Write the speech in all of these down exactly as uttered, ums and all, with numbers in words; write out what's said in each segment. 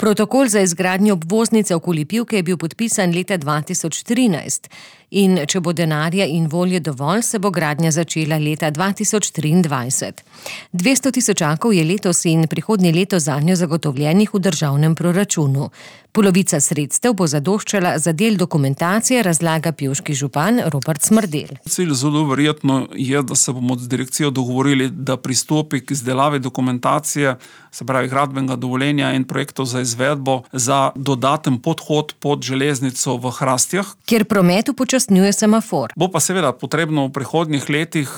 Protokol za izgradnjo obvoznice okoli Pivke je bil podpisan leta dva tisoč trinajst in če bo denarja in volje dovolj, se bo gradnja začela leta dva tisoč triindvajset. dvesto tisočakov je letos in prihodnje leto zanjo zagotovljenih v državnem proračunu. Polovica sredstev bo zadoščala za del dokumentacije, razlaga pivški župan Robert Smrdelj. Cilj zelo verjetno je, da se bomo z direkcijo dogovorili, da pristopi k izdelavi dokumentacije, se pravi gradbenega dovoljenja in projektov za izvedbo za dodaten podhod pod železnico v Hrastjah, kjer promet upočasnjuje semafor. Bo pa seveda potrebno v prihodnjih letih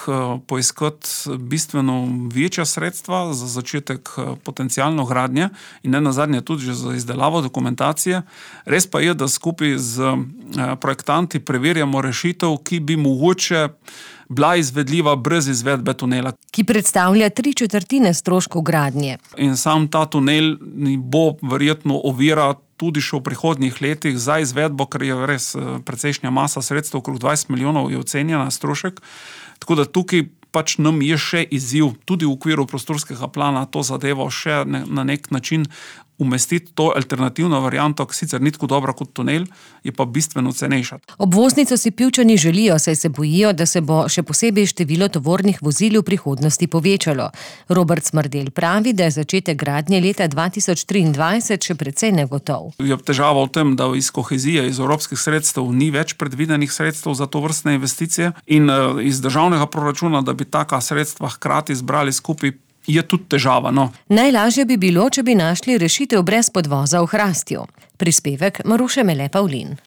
poiskati bistveno večja sredstva za začetek potencialno gradnje in ne nazadnje tudi že za izdelavo dokumentacije. Res pa je, da skupaj z projektanti preverjamo rešitev, ki bi mogoče bila izvedljiva brez izvedbe tunela. Ki predstavlja tri četrtine stroškov gradnje. In sam ta tunel bo verjetno ovira tudi še v prihodnjih letih za izvedbo, ker je res precejšnja masa sredstev, okrog dvajset milijonov je ocenjena strošek. Tako da tukaj pač nam je še izziv, tudi v okviru prostorskega plana, to zadevo še na nek način umestiti to alternativno varianto, ki sicer ni tako dobra kot tunel, je pa bistveno cenejša. Obvoznico si Pivčani želijo, saj se bojijo, da se bo še posebej število tovornih vozil v prihodnosti povečalo. Robert Smrdelj pravi, da je začetek gradnje leta dva tisoč triindvajset še precej negotov. Je težava v tem, da iz kohezije, iz evropskih sredstev ni več predvidenih sredstev za to vrstne investicije in iz državnega proračuna, da bi taka sredstva hkrati zbrali skupaj, je tudi težava, no. Najlažje bi bilo, če bi našli rešitev brez podvoza v Hrastju. Prispevek Maruše Mele Pavlin.